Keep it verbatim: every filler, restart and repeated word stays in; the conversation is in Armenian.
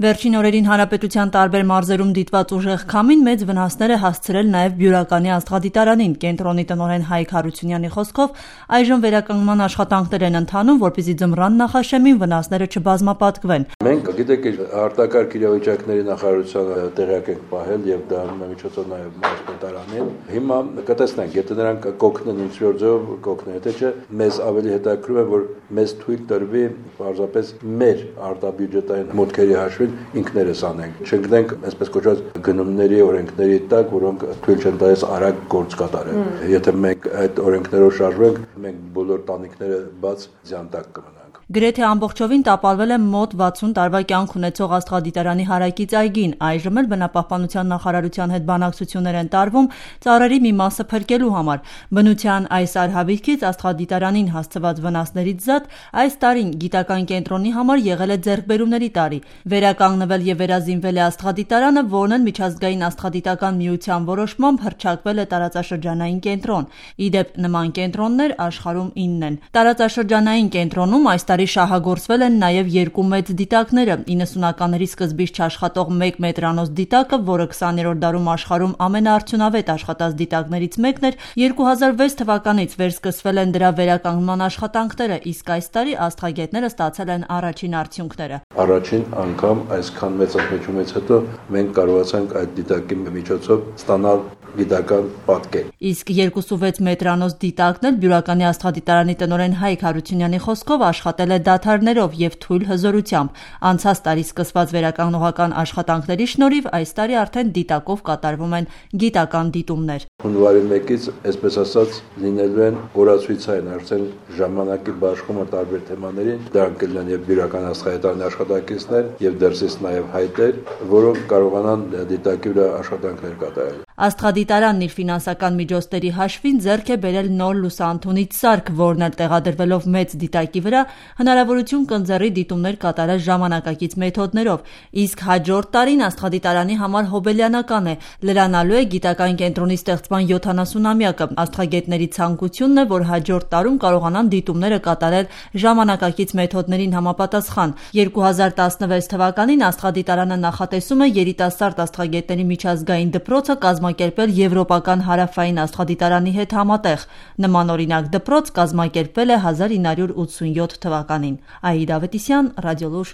Վերջին օրերին հանրապետության տարբեր մարզերում դիտված ուժեղ քամին մեծ վնասներ է հասցրել նաև Բյուրականի աստղադիտարանին։ Կենտրոնի տնօրեն Հայկ Հարությունյանի խոսքով այժմ վերականգնման աշխատանքներ են ընթանում, որպեսզի ձմռան նախաշեմին վնասները չբազմապատկվեն։ Մենք գիտեք արտակարգ իրավիճակների նախարարությանը տեղյակ ենք պահել եւ դա միջոցով նաև մարզպետարանին։ Հիմա կտեսնենք, եթե նրանք կօգնեն ինչ-որ ձեւով կօգնեն, եթե չէ մեզ ավելի հետաքրքրում է, որ մեզ թույլ տրվի պարզապես մեր արտաբյուջետային մուտքերի հաշվին ինքներս անենք։ Չընկնենք այսպես կոչված գնումների օրենքների տակ, որոնք թույլ չեն տալիս արագ գործ կատարել։ Եթե մենք այդ օրենքներով շարժվենք, մենք բոլոր տանիքները բաց ձյան տակ կմնանք։ Գրեթե ամբողջովին տապալվել է մոտ վաթսուն տարվա կյանք ունեցող աստղադիտարանի հարակից այգին։ Այժմ էլ բնապահպանության նախարարության հետ բանակցություններ են տարվում ծառերի մի մասը փրկելու համար։ Բնության այս արհավիրքից աստղադիտարանին հասցված վնասներից զատ այս տարին գիտական կենտրոնի համար եղել է ձեռքբերումների տարի։ Վերականգնվել եւ վերազինվել է աստղադիտարանը, որն էլ միջազգային աստղադիտական միության որոշմամբ հռչակվել է տարածաշրջանային կենտրոն։ Իդեպ նման կենտրոններ աշխարհում ինն են։ Տարածաշրջանային կենտրոնում այս տարի շահագործվել են նաև երկու մեծ դիտակները՝ իննսունականների սկզբից չաշխատող մեկ մետրանոց դիտակը, որը քսաներորդ դարում աշխարհում ամենաարդյունավետ աշխատած դիտակներից մեկն էր, երկու հազար վեց թվականից վերսկսվել են դրա վերականգնման աշխատանքները, իսկ այս տարի աստղագետները ստացել են առաջին արդյունքները։ Առաջին անգամ այսքան մեծ ընդմիջումից հետո մենք կարողացանք այդ դիտակի միջոցով ստանալ գիտական պատկեր։ Իսկ երկուսուվեց մետրանոց դիտակն էլ Բյուրականի աստղադիտարանի տնօրեն Հայկ Հարությունյանի խոսքով աշխատել է դադարներով եւ թույլ հզորությամբ։ Անցած տարի սկսված վերականգնողական աշխատանքների շնորհիվ այս տարի արդեն դիտակով կատարվում են գիտական դիտումներ։ Հունվարի մեկից, այսպես ասած, լինելու են օրացույցային արդեն ժամանակի բաշխումը տարբեր թեմաներին, դրանք կլինեն եւ Բյուրական աստղադիտարանի աշխատակիցներ եւ դրսից նաեւ հայտեր, որոնք կարողանան դիտակի վրա աշխատանքներ կատարել։ Աստղադիտարանն իր ֆինանսական միջոցների հաշվին ձեռք է բերել նոր լուսաընդունիչ սարք, որն էլ տեղադրվելով մեծ դիտակի վրա հնարավորություն կընձեռի դիտումներ կատարել ժամանակակից մեթոդներով, իսկ հաջորդ տարին աստղադիտարանի համար հոբելյանական է, լրանալու է գիտական կենտրոնի ստեղծման յոթանասունամյակը։ Աստղագետների ցանկությունն է, որ հաջորդ տարում կարողանան դիտումները կատարել ժամանակակից մեթոդներին համապատասխան։ երկու հազար տասնվեց թվականին աստղադիտարանը նախատեսում է երիտասարդ աստղագետների միջազգային դպրոցը կազմակերպել եվրոպական հարավային աստղադիտարանի հետ համատեղ։ Նմանօրինակ դպրոց կազմակերպվել է հազար ինը հարյուր ութսունյոթ թվականին։ Աիդա Ավետիսյան, Ռադիոլուր։